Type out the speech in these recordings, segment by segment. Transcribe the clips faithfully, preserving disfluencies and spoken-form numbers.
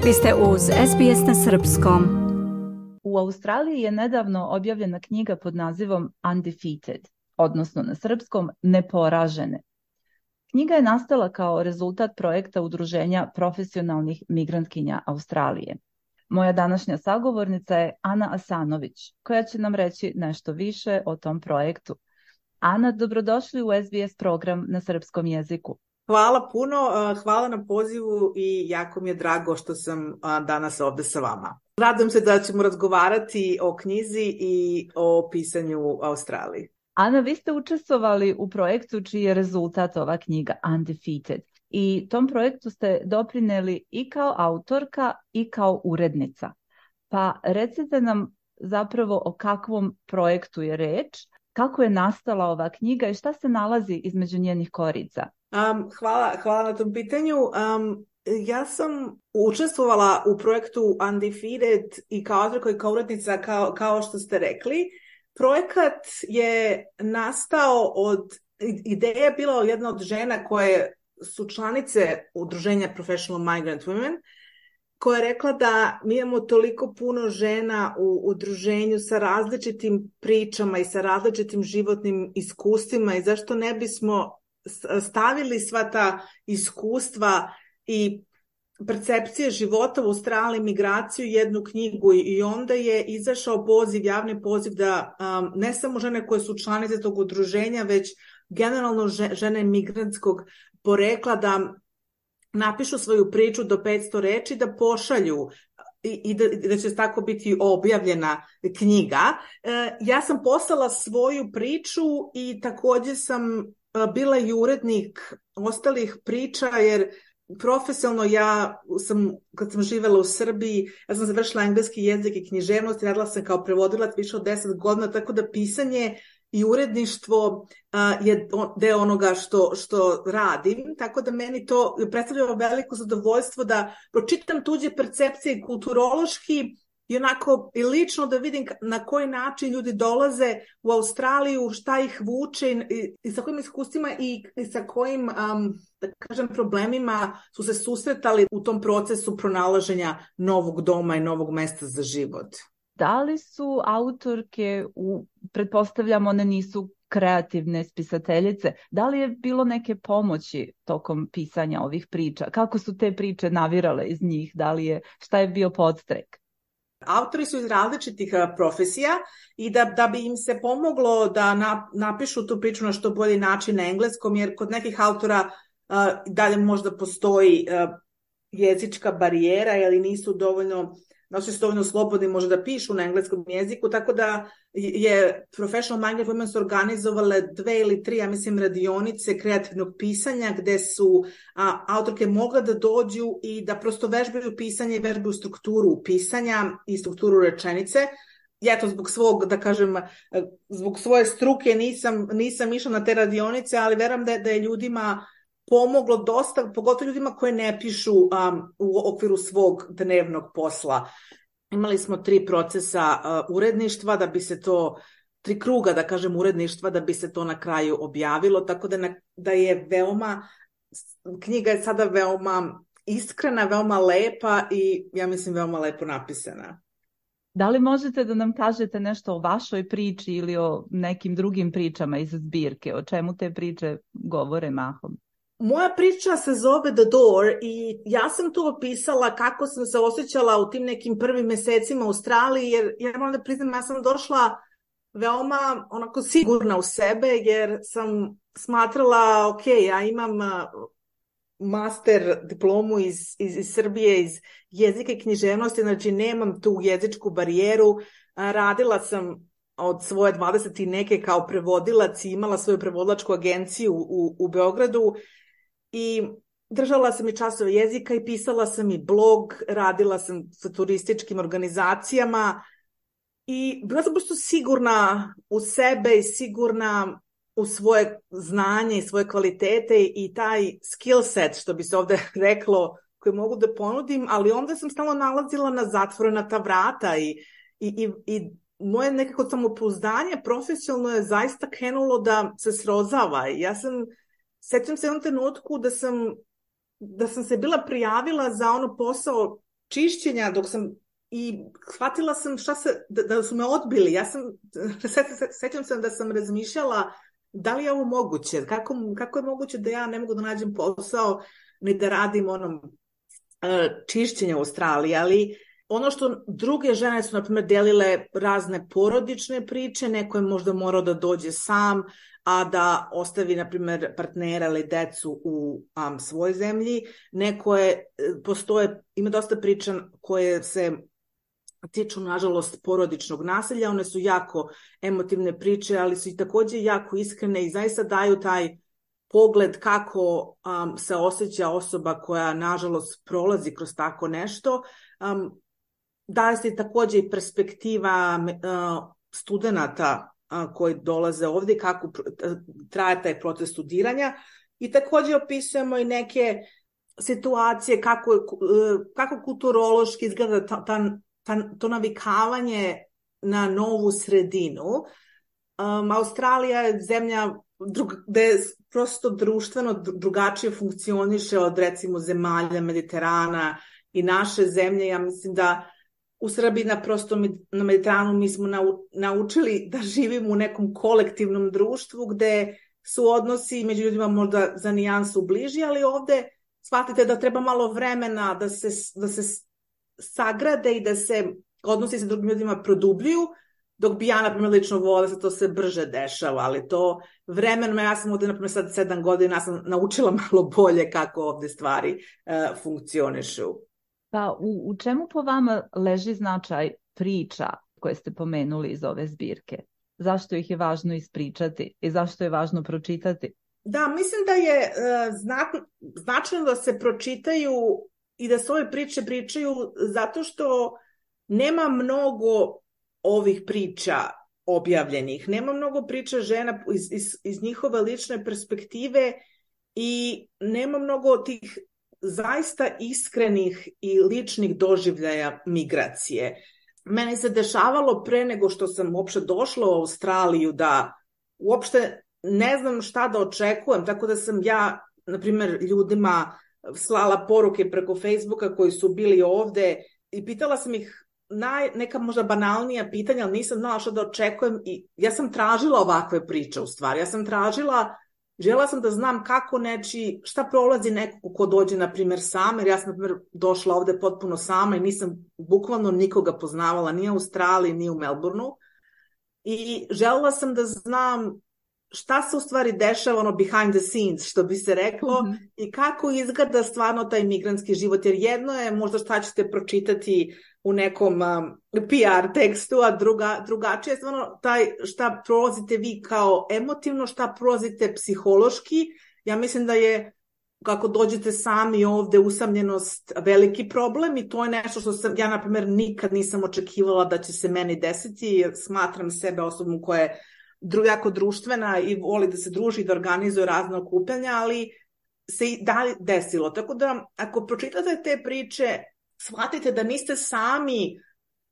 Vi ste uz S B S na srpskom. U Australiji je nedavno objavljena knjiga pod nazivom Undefeated, odnosno na srpskom Neporažene. Knjiga je nastala kao rezultat projekta Udruženja profesionalnih migrantkinja Australije. Moja današnja sagovornica je Ana Asanović, koja će nam reći nešto više o tom projektu. Ana, dobrodošli u S B S program na srpskom jeziku. Hvala puno, hvala na pozivu i jako mi je drago što sam danas ovde sa vama. Radujem se da ćemo razgovarati o knjizi i o pisanju u Australiji. Ana, vi ste učestvovali u projektu čiji je rezultat ova knjiga Undefeated i tom projektu ste doprineli i kao autorka i kao urednica. Pa recite nam zapravo o kakvom projektu je reč, kako je nastala ova knjiga i šta se nalazi između njenih korica? Um, hvala, hvala na tom pitanju. Um, ja sam učestvovala u projektu Undefeated i kao autorka i kao urednica, kao, kao što ste rekli. Projekat je nastao od, ideja je bila jedna od žena koje su članice udruženja Professional Migrant Women, koja je rekla da mi imamo toliko puno žena u udruženju sa različitim pričama i sa različitim životnim iskustvima i zašto ne bismo stavili sva ta iskustva i percepcije života u Australiji, migraciju, jednu knjigu i onda je izašao poziv, javni poziv da um, ne samo žene koje su članice tog udruženja, već generalno žene migrantskog porekla da napišu svoju priču do petsto reči, da pošalju i, i, da, i da će tako biti objavljena knjiga. E, ja sam poslala svoju priču i također sam bila i urednik ostalih priča, jer profesionalno ja sam, kad sam živjela u Srbiji, ja sam završila engleski jezik i književnost i radila sam kao prevodilac više od deset godina, tako da pisanje i uredništvo uh, je deo onoga što, što radim, tako da meni to predstavlja veliko zadovoljstvo da pročitam tuđe percepcije kulturološki i onako i lično da vidim na koji način ljudi dolaze u Australiju, šta ih vuče i, i sa kojim iskustvima i, i sa kojim um, da kažem, problemima su se susretali u tom procesu pronalaženja novog doma i novog mesta za život. Da li su autorke, u, pretpostavljam one nisu kreativne spisateljice, da li je bilo neke pomoći tokom pisanja ovih priča? Kako su te priče navirale iz njih? Da li je, šta je bio podstrek? Autori su iz različitih profesija i da, da bi im se pomoglo da na, napišu tu priču na što bolji način na engleskom, jer kod nekih autora uh, dalje možda postoji uh, jezička barijera ili nisu dovoljno, nosi su dovoljno slobodni možda da pišu na engleskom jeziku, tako da je Professional Migrant Women su organizovale dve ili tri, ja mislim, radionice kreativnog pisanja gde su a, autorke mogle da dođu i da prosto vežbaju pisanje i vežbaju strukturu pisanja i strukturu rečenice. Ja to zbog svog, da kažem, zbog svoje struke nisam, nisam išla na te radionice, ali verujem da je, da je ljudima pomoglo dosta, pogotovo ljudima koje ne pišu um, u okviru svog dnevnog posla. Imali smo tri procesa uh, uredništva da bi se to, tri kruga da kažem uredništva da bi se to na kraju objavilo, tako da, na, da je veoma, knjiga je sada veoma iskrena, veoma lepa i ja mislim veoma lepo napisana. Da li možete da nam kažete nešto o vašoj priči ili o nekim drugim pričama iz zbirke? O čemu te priče govore mahom? Moja priča se zove The Door i ja sam tu opisala kako sam se osjećala u tim nekim prvim mesecima u Australiji, jer ja moram da priznam, ja sam došla veoma onako sigurna u sebe, jer sam smatrala, ok, ja imam master diplomu iz, iz, iz Srbije, iz jezika i književnosti, znači nemam tu jezičku barijeru, radila sam od svoje dvadeset i neke kao prevodilac i imala svoju prevodilačku agenciju u, u Beogradu i držala sam i časove jezika i pisala sam i blog, radila sam sa turističkim organizacijama i bila sam prosto sigurna u sebe i sigurna u svoje znanje i svoje kvalitete i taj skill set, što bi se ovde reklo, koje mogu da ponudim, ali onda sam stalno nalazila na zatvorena ta vrata i, i, i, i moje nekako samopouzdanje profesionalno je zaista krenulo da se srozava. Ja sam, sećam se u jednom trenutku da sam, da sam se bila prijavila za ono posao čišćenja, dok sam i shvatila sam šta se, da, da su me odbili. Ja sam, sećam se da sam razmišljala da li je ovo moguće, kako, kako je moguće da ja ne mogu da nađem posao ni da radim onom čišćenje u Australiji, ali ono što druge žene su, na primjer, delile razne porodične priče, neko je možda morao da dođe sam, a da ostavi, na primjer, partnera ili decu u um, svojoj zemlji. Neko je, postoje, ima dosta priča koje se tiču, nažalost, porodičnog nasilja. One su jako emotivne priče, ali su i također jako iskrene i zaista daju taj pogled kako um, se osjeća osoba koja, nažalost, prolazi kroz tako nešto. Um, daje se također i perspektiva uh, studenata uh, koji dolaze ovdje, kako uh, traje taj proces studiranja. I također opisujemo i neke situacije kako, uh, kako kulturološki izgleda ta, ta, ta, to navikavanje na novu sredinu. Um, Australija je zemlja drug, gde prosto društveno drugačije funkcioniše od, recimo, zemalja Mediterana i naše zemlje. Ja mislim da u Srbiji na prosto na Mediteranu mi smo naučili da živimo u nekom kolektivnom društvu gde su odnosi među ljudima možda za nijansu bliži, ali ovdje shvatite da treba malo vremena da se, da se sagrade i da se odnosi sa drugim ljudima produbljuju, dok bi ja, na primjer, lično volila da se to sve brže dešava, ali to vremenom, ja sam ovdje, na primjer, sad sedam godina, ja sam naučila malo bolje kako ovdje stvari uh, funkcionišu. Pa u, u čemu po vama leži značaj priča koje ste pomenuli iz ove zbirke? Zašto ih je važno ispričati i zašto je važno pročitati? Da, mislim da je uh, znak, značajno da se pročitaju i da se ove priče pričaju zato što nema mnogo ovih priča objavljenih. Nema mnogo priča žena iz, iz, iz njihove lične perspektive i nema mnogo tih zaista iskrenih i ličnih doživljaja migracije. Meni se dešavalo pre nego što sam uopšte došla u Australiju da uopšte ne znam šta da očekujem, tako da sam ja, na primjer, ljudima slala poruke preko Facebooka koji su bili ovde i pitala sam ih naj, neka možda banalnija pitanja, ali nisam znala šta da očekujem i ja sam tražila ovakve priče u stvari. Ja sam tražila, žela sam da znam kako neči, šta prolazi neko ko dođe, na primjer, sam, jer ja sam, na primjer, došla ovde potpuno sama i nisam bukvalno nikoga poznavala, ni u Australiji, ni u Melbourneu. I želela sam da znam šta se u stvari dešava, ono behind the scenes, što bi se reklo, mm-hmm. i kako izgleda stvarno taj migrantski život, jer jedno je možda šta ćete pročitati u nekom um, P R tekstu, a druga, drugačije je stvarno taj šta prolazite vi kao emotivno, šta prolazite psihološki. Ja mislim da je, kako dođete sami ovde, usamljenost veliki problem i to je nešto što sam, ja, na primjer, nikad nisam očekivala da će se meni desiti, jer smatram sebe osobom koja je jako društvena i voli da se druži i da organizuje razne okupljanja, ali se i da desilo. Tako da, ako pročitate te priče, shvatite da niste sami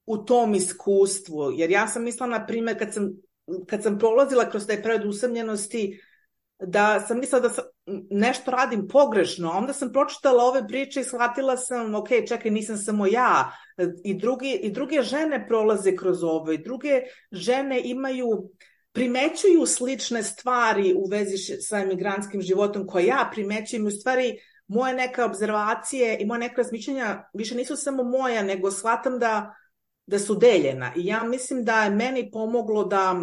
u tom iskustvu. Jer ja sam mislila, na primjer, kad sam, kad sam prolazila kroz taj period usamljenosti, da sam mislila da sam, nešto radim pogrešno. Onda sam pročitala ove priče i shvatila sam, ok, čekaj, nisam samo ja. I, drugi, i druge žene prolaze kroz ovo. I druge žene imaju, primećuju slične stvari u vezi sa emigrantskim životom koje ja primećujem. U stvari, moje neke obzervacije i moje neke razmišljanja više nisu samo moja, nego shvatam da, da su deljena. I ja mislim da je meni pomoglo da,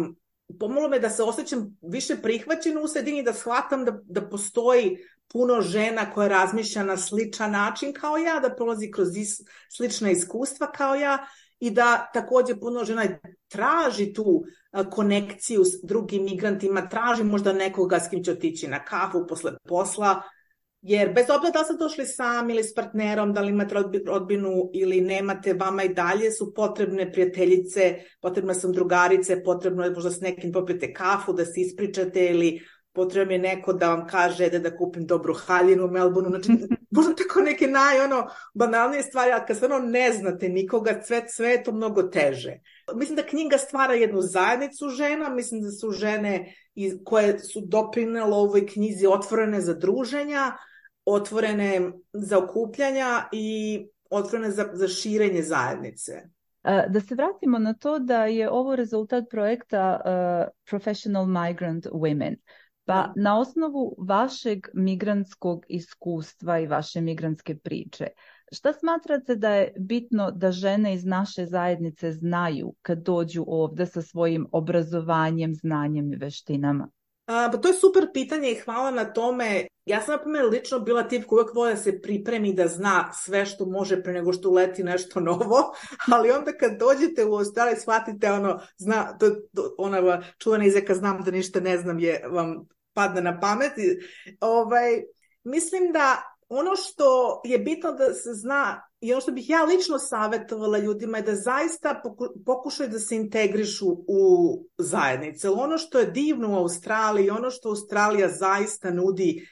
pomoglo me da se osjećam više prihvaćeno u sredini, da shvatam da, da postoji puno žena koje razmišlja na sličan način kao ja, da prolazi kroz is, slična iskustva kao ja i da također puno žena traži tu konekciju s drugim migrantima, traži možda nekoga s kim će otići na kafu posle posla. Jer bez obzira da li ste došli sami ili s partnerom, da li imate rodbinu ili nemate, vama i dalje su potrebne prijateljice, potrebne su drugarice, potrebno je možda s nekim popijete kafu, da se ispričate ili potrebno je neko da vam kaže da da kupim dobru haljinu u Melbourneu. Znači, možda tako neke naj, ono, banalnije stvari, ali kad stvarno ne znate nikoga, sve, sve je to mnogo teže. Mislim da knjiga stvara jednu zajednicu žena, mislim da su žene koje su doprinele ovoj knjizi otvorene za druženja, otvorene za okupljanja i otvorene za, za širenje zajednice. Da se vratimo na to da je ovo rezultat projekta uh, Professional Migrant Women. Pa Da. na osnovu vašeg migrantskog iskustva i vaše migrantske priče, šta smatrate da je bitno da žene iz naše zajednice znaju kad dođu ovdje sa svojim obrazovanjem, znanjem i veštinama? A, pa to je super pitanje i hvala na tome. Ja sam, na primjer, lično bila tip koja uvijek voli da se pripremi da zna sve što može pre nego što uleti nešto novo, ali onda kad dođete u Australiju shvatite ono, zna, to, to, ona čuvena izreka znam da ništa ne znam je vam padne na pamet. Ovaj, mislim da ono što je bitno da se zna i ono što bih ja lično savjetovala ljudima je da zaista pokušaju da se integrišu u zajednice. Ono što je divno u Australiji, ono što Australija zaista nudi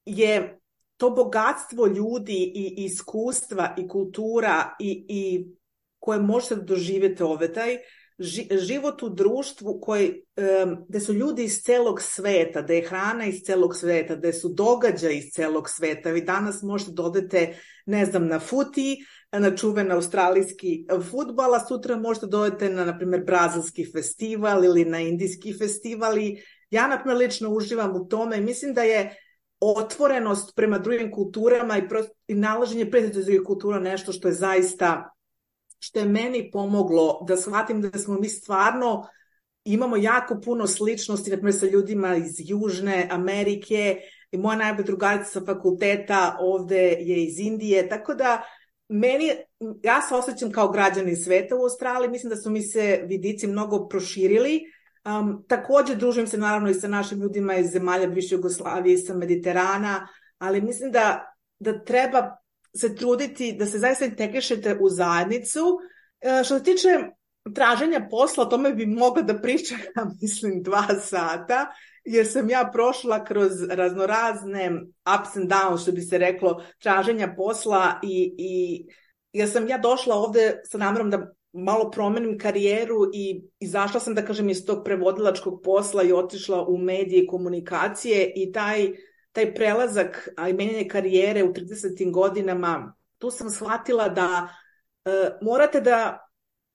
je to bogatstvo ljudi i iskustva i kultura i, i koje možete doživjeti ovdje. Taj život u društvu koji, um, gdje su ljudi iz celog sveta, da je hrana iz celog sveta, da su događaji iz celog sveta. Vi danas možete da odete, ne znam, na futi, na čuven australijski fudbal, a sutra možete da odete na, na primjer, brazilski festival ili na indijski festival. I ja, na primjer, lično uživam u tome i mislim da je otvorenost prema drugim kulturama i, prost, i nalaženje prijatelja drugih kultura nešto što je zaista što je meni pomoglo da shvatim da smo mi stvarno imamo jako puno sličnosti, na primjer, sa ljudima iz Južne Amerike i moja najbolja drugarica sa fakulteta ovdje je iz Indije, tako da meni, ja se osjećam kao građanin sveta u Australiji, mislim da su mi se vidici mnogo proširili. Um, također družim se naravno i sa našim ljudima iz zemalja bivše Jugoslavije i sa Mediterana, ali mislim da, da treba se truditi da se zaista integrišete u zajednicu. E, što se tiče traženja posla, o tome bi mogla da pričam, mislim, dva sata, jer sam ja prošla kroz raznorazne ups and downs, što bi se reklo, traženja posla i, i jer sam ja došla ovdje sa namerom da malo promenim karijeru i izašla sam, da kažem, iz tog prevodilačkog posla i otišla u medije i komunikacije i taj taj prelazak, a i menjanje karijere u tridesetim godinama, tu sam shvatila da e, morate da,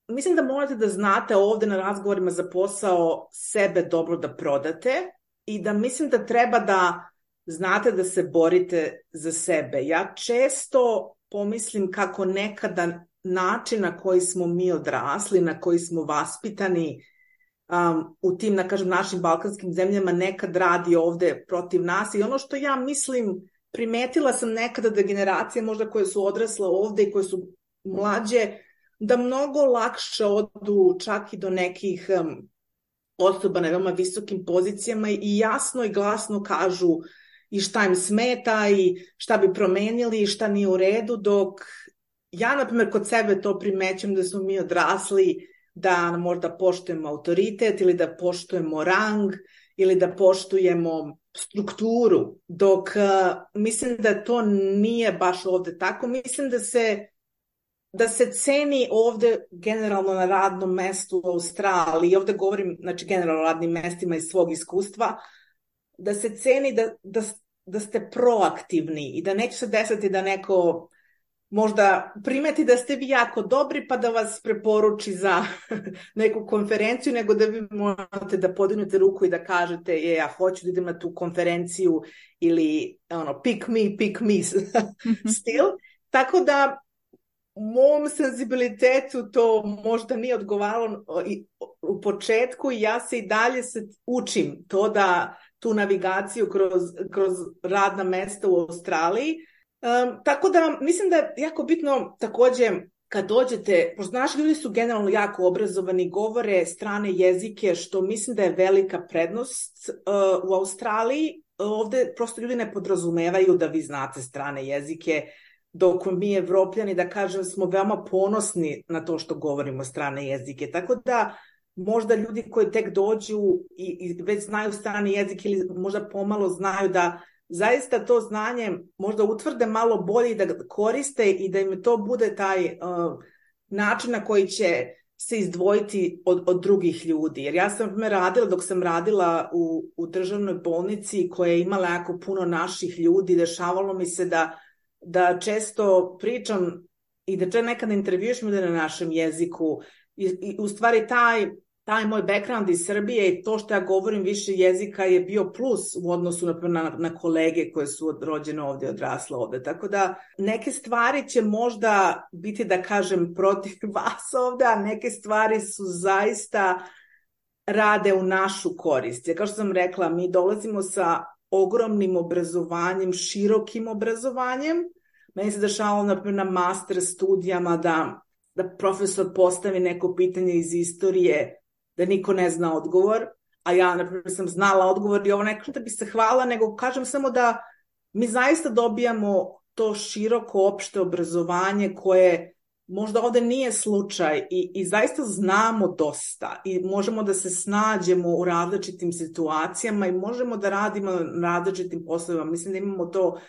mislim da morate da znate ovdje na razgovorima za posao sebe dobro da prodate i da mislim da treba da znate da se borite za sebe. Ja često pomislim kako nekada način na koji smo mi odrasli, na koji smo vaspitani, Um, u tim, da kažem, našim balkanskim zemljama nekad radi ovdje protiv nas i ono što ja mislim, primetila sam nekada da generacije možda koje su odrasle ovdje i koje su mlađe, da mnogo lakše odu čak i do nekih um, osoba na veoma visokim pozicijama i jasno i glasno kažu i šta im smeta i šta bi promenili i šta nije u redu, dok ja, na primjer, kod sebe to primećujem da smo mi odrasli da možda poštujemo autoritet ili da poštujemo rang ili da poštujemo strukturu, dok uh, mislim da to nije baš ovdje tako. Mislim da se, da se ceni ovdje generalno na radnom mestu u Australiji, i ovdje govorim, znači, generalno o radnim mestima iz svog iskustva, da se ceni da, da, da ste proaktivni i da neće se desiti da neko možda primeti da ste vi jako dobri pa da vas preporuči za neku konferenciju, nego da vi morate da podignete ruku i da kažete je, ja hoću da idem na tu konferenciju ili ono, pick me, pick me still. Tako da mom senzibilitetu to možda nije odgovaralo u početku i ja se i dalje se učim to da tu navigaciju kroz, kroz radna mesta u Australiji. Um, tako da mislim da je jako bitno također kad dođete, pošto naši ljudi su generalno jako obrazovani, govore strane jezike, što mislim da je velika prednost uh, u Australiji. Ovdje prosto ljudi ne podrazumevaju da vi znate strane jezike, dok mi Evropljani, da kažem, smo veoma ponosni na to što govorimo strane jezike. Tako da možda ljudi koji tek dođu i, i već znaju strane jezike ili možda pomalo znaju da zaista to znanje možda utvrde malo bolje i da koriste i da im to bude taj uh, način na koji će se izdvojiti od, od drugih ljudi. Jer ja sam radila, dok sam radila u, u državnoj bolnici koja je imala jako puno naših ljudi, dešavalo mi se da, da često pričam i da čak nekada intervjuš ljude na našem jeziku. I, i u stvari taj, taj moj background iz Srbije i to što ja govorim više jezika je bio plus u odnosu na, na, na kolege koje su rođene ovdje, odrasle ovdje. Tako da neke stvari će možda biti, da kažem, protiv vas ovdje, a neke stvari su zaista rade u našu korist. Jer kao što sam rekla, mi dolazimo sa ogromnim obrazovanjem, širokim obrazovanjem. Meni se dešavalo na, na master studijama da, da profesor postavi neko pitanje iz istorije, da niko ne zna odgovor, a ja, na primjer, sam znala odgovor i ovo neko da bi se hvala, nego kažem samo da mi zaista dobijamo to široko opšte obrazovanje koje možda ovdje nije slučaj i, i zaista znamo dosta i možemo da se snađemo u različitim situacijama i možemo da radimo na različitim poslovima. Mislim da imamo to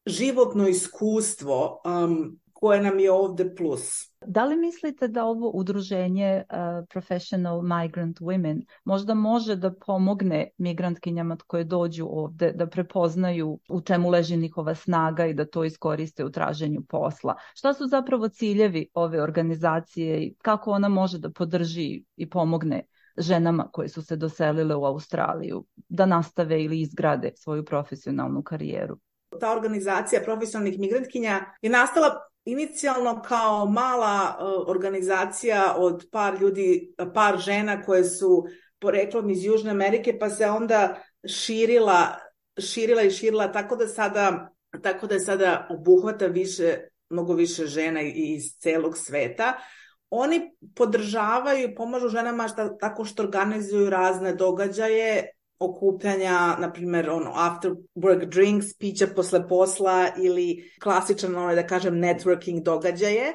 životno iskustvo um, koje nam je ovdje plus. Da li mislite da ovo udruženje uh, Professional Migrant Women možda može da pomogne migrantkinjama koje dođu ovdje da prepoznaju u čemu leži njihova snaga i da to iskoriste u traženju posla? Šta su zapravo ciljevi ove organizacije i kako ona može da podrži i pomogne ženama koje su se doselile u Australiju da nastave ili izgrade svoju profesionalnu karijeru? Ta organizacija profesionalnih migrantkinja je nastala inicijalno kao mala uh, organizacija od par ljudi, par žena koje su poreklom iz Južne Amerike, pa se onda širila, širila i širila tako da sada, tako da sada obuhvata više, mnogo više žena iz celog sveta. Oni podržavaju i pomažu ženama šta, tako što organizuju razne događaje, okupljanja, na primjer, ono, after work drinks, pića posle posla ili klasičan, ono, da kažem, networking događaje.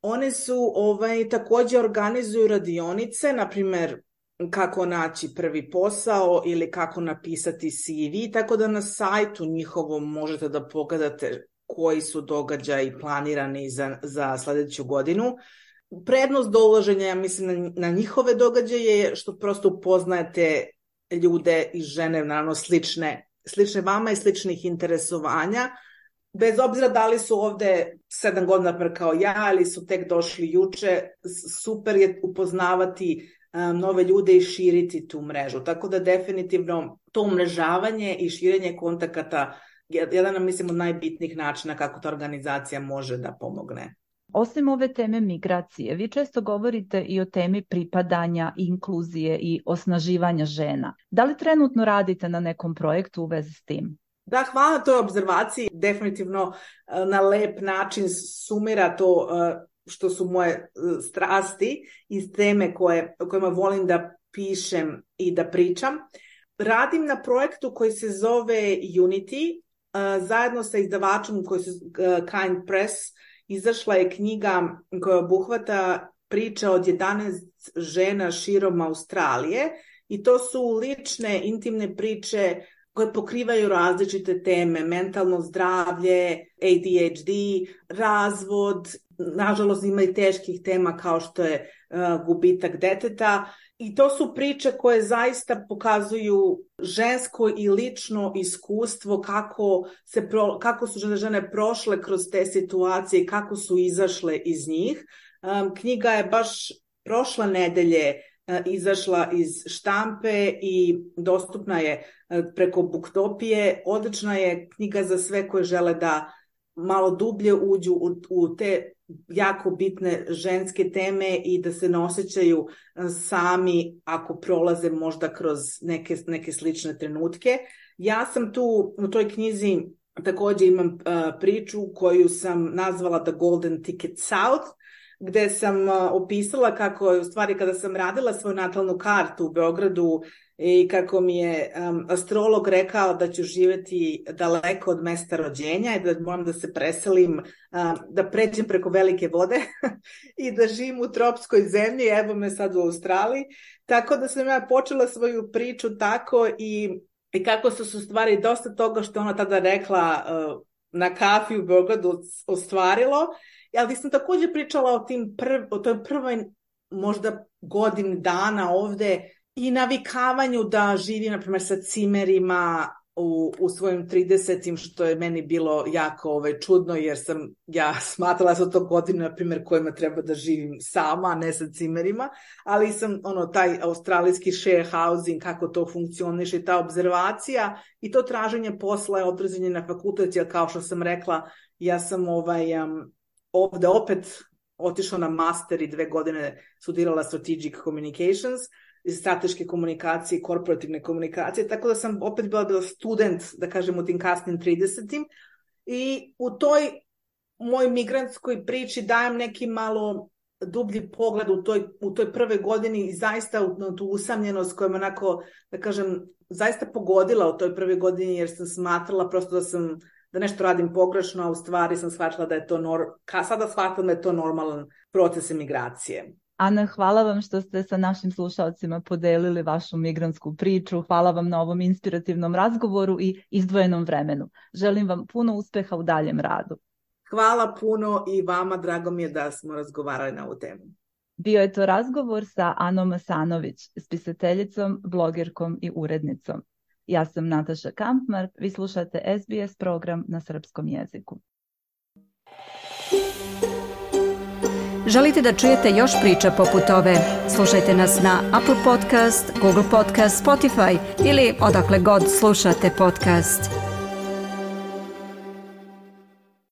One su, ovaj, također organizuju radionice, na primjer, kako naći prvi posao ili kako napisati C V, tako da na sajtu njihovom možete da pogledate koji su događaji planirani za, za sljedeću godinu. Prednost dolaženja, ja mislim, na, na njihove događaje je što prosto upoznajete ljude i žene, naravno, slične, slične vama i sličnih interesovanja. Bez obzira da li su ovdje sedam godina kao ja ili su tek došli juče, super je upoznavati um, nove ljude i širiti tu mrežu. Tako da definitivno to umrežavanje i širenje kontakata je jedan, mislim, od najbitnijih načina kako ta organizacija može da pomogne. Osim ove teme migracije, vi često govorite i o temi pripadanja, inkluzije i osnaživanja žena. Da li trenutno radite na nekom projektu u vezi s tim? Da, hvala na toj obzervaciji. Definitivno na lep način sumira to što su moje strasti iz teme koje, o kojima volim da pišem i da pričam. Radim na projektu koji se zove Unity, zajedno sa izdavačom koji se Kind Press. Izašla je knjiga koja obuhvata priče od jedanaest žena širom Australije i to su lične, intimne priče koje pokrivaju različite teme, mentalno zdravlje, A D H D, razvod, nažalost ima i teških tema kao što je uh, gubitak deteta. I to su priče koje zaista pokazuju žensko i lično iskustvo kako, se pro, kako su žene, žene prošle kroz te situacije i kako su izašle iz njih. Um, knjiga je baš prošle nedelje uh, izašla iz štampe i dostupna je uh, preko Booktopije. Odlična je knjiga za sve koje žele da malo dublje uđu u, u te jako bitne ženske teme i da se ne osjećaju sami ako prolaze možda kroz neke, neke slične trenutke. Ja sam tu u toj knjizi također imam uh, priču koju sam nazvala The Golden Ticket South, gdje sam uh, opisala kako je u stvari kada sam radila svoju natalnu kartu u Beogradu i kako mi je um, astrolog rekao da ću živjeti daleko od mesta rođenja i da moram da se preselim, um, da pređem preko velike vode i da živim u tropskoj zemlji, evo me sad u Australiji. Tako da sam ja počela svoju priču tako i, i kako su se stvari dosta toga što ona tada rekla uh, na kafi u Beogradu ostvarilo. Ali sam također pričala o, tim prv, o toj prvoj možda godini dana ovdje i navikavanju da živim, na primjer, sa cimerima, u, u svojim tridesetim, što je meni bilo jako ovaj, čudno, jer sam ja smatrala da su to godine, na primjer, kojima treba da živim sama, a ne sa cimerima, ali sam ono, taj australijski share housing, kako to funkcioniše, ta obzervacija i to traženje posla je određenje na fakultet, jer kao što sam rekla, ja sam ovaj, um, ovde opet otišla na master i dve godine studirala strategic communications, strateške komunikacije i korporativne komunikacije, tako da sam opet bila, bila student, da kažem, u tim kasnim tridesetim i u toj moj migrantskoj priči dajem neki malo dublji pogled u toj, u toj prve godini i zaista u tu usamljenost koja me onako, da kažem, zaista pogodila u toj prve godini jer sam smatrala prosto da sam da nešto radim pogrešno, a u stvari sam shvatila da je to, nor... Ka sada shvatam da je to normalan proces emigracije. Ana, hvala vam što ste sa našim slušalcima podelili vašu migrantsku priču. Hvala vam na ovom inspirativnom razgovoru i izdvojenom vremenu. Želim vam puno uspeha u daljem radu. Hvala puno i vama, drago mi je da smo razgovarali na ovu temu. Bio je to razgovor sa Anom Asanović, spisateljicom, blogerkom i urednicom. Ja sam Nataša Kampmark, vi slušate S B S program na srpskom jeziku. Želite da čujete još priča poput ove? Slušajte nas na Apple Podcast, Google Podcast, Spotify ili odakle god slušate podcast.